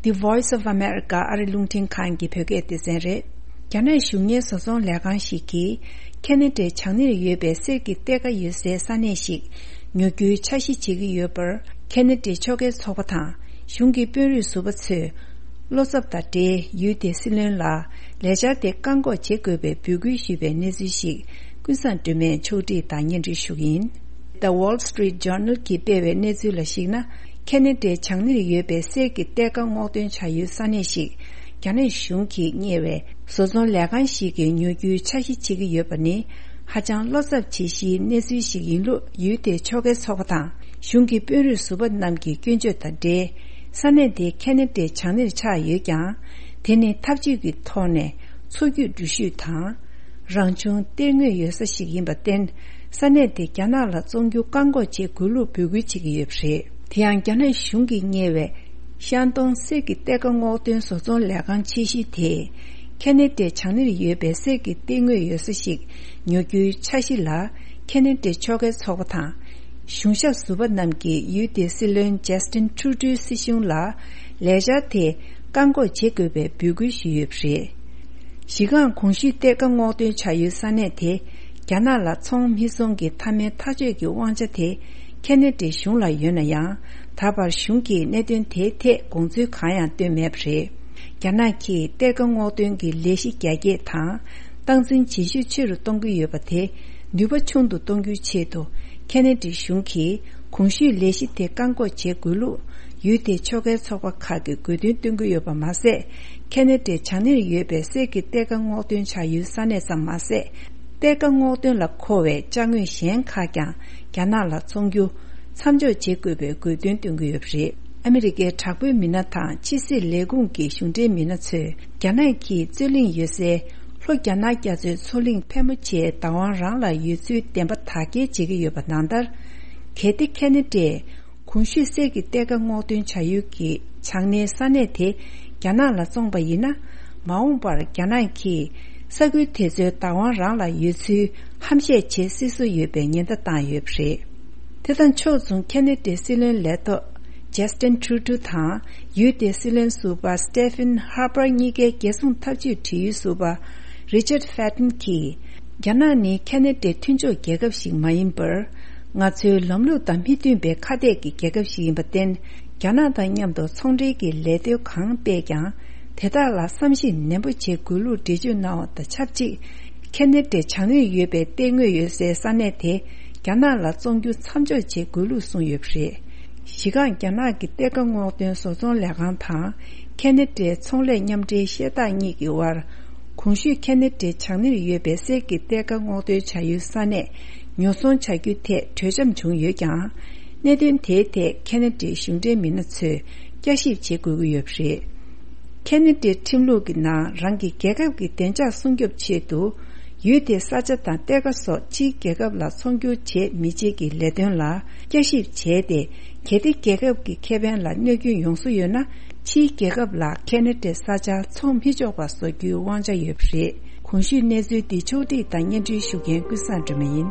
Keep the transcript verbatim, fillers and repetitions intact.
The Voice of America ཨ་རི་རླུང་འཕྲིན་ཁང་གི་བོད་སྐད་སྡེ་ཚན་རེད། རྒྱ་ནག་གཞུང་གཉེར་བཟོ་ཚོང་ལས་ཁང་ཞིག་གིས་ཁེ་ན་ཌའི་བྱང་སྣེར་ཡོད་པའི་གསེར་གྱི་གཏེར་ཁ་ཡོད་སའི་ས་གནས་ཤིག་ཉོ་རྒྱུའི་འཆར་གཞི་བྱེད་ཀྱི་ཡོད་པར། ཁེ་ན་ཌའི་ཕྱོགས་འགལ་ཚོགས་པ་དང་གཞུང་གི་དཔོན་རིགས་ཟུར་པ་ཚོས་བློ་འཚབ་དང་འབྲེལ། ཡུལ་དེའི་སྲིད་བློན་ལ་ལས་འཆར་དེ་བཀག་འགོག་བྱེད་དགོས་པའི་འབོད་སྐུལ་ཞུས་པའི་གནས་ཚུལ་ཞིག་ཀུན་བཟང་སྒྲོལ་མས་ཕྱོགས་སྒྲིག་དང་སྙན་སྒྲོན་ཞུ་གི་ཡིན། The Wall Street Journal གྱིས་སྤེལ་བའི་གནས་ཚུལ་ལ་གཞིགས་ན། ཁེ་ན་ཌའི་བྱང་སྣེར་ཡོད་པའི་གསེར་གྱི་གཏེར་ཁ་སྔོག་འདོན་བྱ་ཡུལ་ས་གནས་ཤིག་རྒྱ་ནག་གཞུང་གིས་གཉེར་བའི་བཟོ་ཚོང་ལས་ཁང་ཞིག་གིས་ཉོ་རྒྱུའི་འཆར་གཞི་བྱེད་ཀྱི་ཡོད་པ་ནི། ཧ་ཅང་བློ་འཚབ་བྱེད་གཞིའི་གནས་ཚུལ་ཞིག་ཡིན་ལུགས་ཡུལ་དེའི་ཕྱོགས་འགལ་ཚོགས་པ་དང་གཞུང་གི་དཔོན་རིགས་ཟུར་པ་རྣམས་ཀྱི་སྐྱོན་བརྗོད་དང་འབྲེལ། ས་གནས་དེ་ཁེ་ན་ཌའི་བྱང་སྣེར་ཆགས་ཡོད་ཀྱང་། དེ་ནི་འཐབ་ཇུས་ཀྱི་ཐོག་ནས་མཚོ་རྒྱུད་འགྲུལ་བཞུད་དང་། རང་བྱུང་གཏེར་དངོས་ཡོད་ས་ཞིག་ཡིན་པར་བརྟེན། ས་གནས་དེ་རྒྱ་ནག་ལ་བཙོང་རྒྱུ་བཀག་འགོག་བྱེད་དགོས་ལུགས་འབོད་སྐུལ་བྱེད་ཀྱི་ཡོད་པ་རེད། དེ་ཡང་རྒྱ་ནག་གཞུང་གིས་གཉེར་བའི་ཤན་ཏུང་གསེར་གྱི་གཏེར་ཁ་སྔོག་འདོན་བཟོ་ཚོང་ལས་ཁང་ཆེ་ཤོས་དེས། ཁེ་ན་ཌའི་བྱང་སྣེར་ཡོད་པའི་གསེར་གྱི་གཏེར་དངོས་ཡོད་ས་ཞིག་ཉོ་རྒྱུའི་འཆར་གཞི་ལ། ཁེ་ན་ཌའི་ཕྱོགས་འགལ་ཚོགས་པ་དང་། གཞུང་ཞབས་ཟུར་པ་རྣམས་ཀྱིས་ཡུལ་དེའི་སྲིད་བློན་ཇས་ཏིན་ཁྲུ་ཏུའི་སྲིད་གཞུང་ལ། ལས་འཆར་དེ་བཀག་འགོག་བྱེད་དགོས་པའི་འབོད་སྐུལ་ཞུས་ཡོད་པ་རེད། གཞི་རྐང་གོང་ཞུས་གཏེར་ཁ་སྔོག་འདོན་བྱ་ཡུལ་ས་གནས་དེ། རྒྱ་ནག་ལ་ཚོང་མི་ཚོང་གི་མཐའ་མའི་ཐག་གཅོད་ཀྱི་དབང་ཆ་དེ། ཁེ་ན་ཌའི་གཞུང་ལ་ཡོད་ན་ཡང་། ད་བར་གཞུང་གིས་གནད་དོན་དེའི་ཐད་དགོངས་ཚུལ་གང་ཡང་བཏོན་མེད་པ་རེད། རྒྱ་ནག་གིས་གཏེར་ཁ་སྔོག་འདོན་གྱི་ལས་གཞི་རྒྱ་སྐྱེད་དང་། སྟངས་འཛིན་བྱེད་ཤུགས་ཆེ་རུ་གཏོང་གི་ཡོད་པ་དེ། ནུས་པ་ཆུང་དུ་གཏོང་རྒྱུའི་ཆེད་དུ། ཁེ་ན་ཌའི་གཞུང་གིས་གོང་ཞུས་ལས་གཞི་དེ་བཀག་འགོག་བྱེད་དགོས་ལུགས། ཡུལ་དེའི་ཕྱོགས་འགལ་ཚོགས་པ་ཁག་གིས་དགོས་འདུན་བཏོན་གྱི་ཡོད་པ་མ་ཟད། ཁེ་ན་ཌའི་བྱང་སྣེར་ཡོད་པའི་གསེར་གྱི་གཏེར་ཁ་སྔོག་འདོན་བྱ་ཡུལ་ས་གནས་ཙམ་མ་ཟད། གཏེར་ཁ་སྔོག་འདོན་ལ་མཁོ་བའི་ཅ་དངོས་གཞན་ཁག་ཀྱང་རྒྱ་ནག་ལ་བཙོང་རྒྱུ་མཚམས་འཇོག་བྱེད་དགོས་པའི་དགོས་འདུན་བཏོན་གྱི་ཡོད་པ་རེད། ཨ་མི་རི་ཀའི་དྲག་པོའི་མི་སྣ་དང་ཕྱི་སྲིད་ལས་ཁུངས་ཀྱི་གཞུང་འབྲེལ་མི་སྣ་ཚོས། རྒྱ་ནག་གིས་རྩོད་གླེང་ཡོད་སའི་ལྷོ་རྒྱ་ནག་རྒྱ་མཚོའི་མཚོ་གླིང་ཕལ་མོ་ཆེའི་བདག་དབང་རང་ལ་ཡོད་ཚུལ་བདེན་པ་དག་སྐྱེལ་བྱེད་ཀྱི་ཡོད་པ་ནང་ལྟར། གལ་ཏེ་ཁེ་ན་ཌས་གོང་ཞུས་གསེར་གྱི་གཏེར་ཁ་སྔོག་འདོན་བྱ་ཡུལ་གྱི་བྱང་སྣེའི་ས་གནས་དེ་རྒྱ་ནག་ལ་བཙོངས་པ་ཡིན་ན། མ་འོངས་པར་རྒྱ་ནག་གིས་ས་ཁུལ་དེ་ཚོའི་བདག་དབང་རང་ལ་ཡོད་ཚུལ་ཧམ་བཤད་བྱེད་སྲིད་བཟོ་ཡོད་པའི་ཉེན་བརྡ་བཏང་ཡོད་པ་རེད། དེ་དང་ཕྱོགས་མཚུངས། ཁེ་ན་ཌའི་སྲིད་བློན་ལས་ཐོག་ཇས་ཏིན་ཁྲུ་ཏུ་དང་། ཡུལ་དེའི་སྲིད་བློན་ཟུར་པ་སི་ཏེ་ཕིན་ཧར་པར་གཉིས་ཀའི་རྒྱལ་སྲུང་འཐབ་ཇུས་དྲི་ཡུལ་ཟུར་པ་རི་ཅར་ཕེ་ཏན་གྱིས། རྒྱ་ནག་ནི་ཁེ་ན་ཌའི་མཐུན་ཕྱོགས་རྒྱལ་ཁབ་ཞིག་མ་ཡིན་པར། ང་ཚོའི་ལམ་ལུགས་དང་མི་མཐུན་པའི་ཁ་གཏད་ཀྱི་རྒྱལ་ཁབ་ཞིག་ཡིན་པར་བརྟེན། རྒྱ་ནག་དང་མཉམ་དུ་ཚོང་འབྲེལ་གྱི་ལས་དོན་གང་སྤེལ་ཀྱང་། དེ་དག་ལ་བསམ་གཞིག་ནན་པོ་བྱེད་དགོས་ལུགས་འགྲེལ་བརྗོད་གནང་བ་དང་ཆབས་ཅིག་ཁེ་ན་ཌའི་བྱང་ཡོལ་ཡོད་པའི་གཏེར་དངོས་ཡོད་སའི་ས་གནས་དེ་རྒྱ་ནག་ལ་བཙོང་རྒྱུ་མཚམས་འཇོག་བྱེད་དགོས་ལུགས་གསུངས་ཡོད་པ་རེད། གཞི་རྐང་རྒྱ་ནག་གི་གཏེར་ཁ་སྔོག་འདོན་བཟོ་ཚོང་ལས་ཁང་དང་། ཁེ་ན་ཌའི་ཚོང་ལས་མཉམ་འབྲེལ་ཤེལ་ཐག་གཉིས་ཀྱི་དབར། གོང་ཞུས་ཁེ་ན་ཌའི་བྱང་སྣེར་ཡོད་པའི་གསེར་གྱི་གཏེར་ཁ་སྔོག་འདོན་བྱ་ཡུལ་ས་གནས་ཉོ་ཚོང་བྱ་རྒྱུ་ཐད་གྲོས་འཆམ་བྱུང་ཡོད་ཀྱང་། གནད་དོན་དེའི་ཐད་ཁེ་ན་ཌའི་གཞུང་འབྲེལ་མི་སྣ་ཚོས་བསྐྱར་ཞིབ་བྱེད་དགོས་ཀྱི་ཡོད་པ་རེད། ཁེ་ན་ཌའི་ཁྲིམས་ལུགས་ཀྱི་ནང་རང་གི་རྒྱལ་ཁབ་ཀྱི་བདེ་འཇགས་སྲུང་སྐྱོབ་ཆེད་དུ། ཡུལ་དེའི་ས་ཆ་དང་གཏེར་ཁ་སོགས་ཕྱིའི་རྒྱལ་ཁབ་ལ་ཚོང་སྒྱུར་བྱེད་མི་བྱེད་ཀྱི་ལས་དོན་ལ་བསྐྱར་ཞིབ་བྱས་ཏེ། གལ་ཏེ་རྒྱལ་ཁབ་ཀྱི་ཁེ་ཕན་ལ་གནོད་སྐྱོན་ཡོང་བཟོ་ཡོད་ན། ཕྱིའི་རྒྱལ་ཁབ་ལ་ཁེ་ན་ཌའི་ས་ཆ་ཚོང་མི་ཆོག་པ་བཟོ་རྒྱུའི་དབང་ཆ་ཡོད་པ་རེད། གོང་ཞུས་གནས་ཚུལ་འདི་ཕྱོགས་སྒྲིག་དང་སྙན་སྒྲོན་ཞུ་མཁན་ཀུན་བཟང་སྒྲོལ་མ་ཡིན།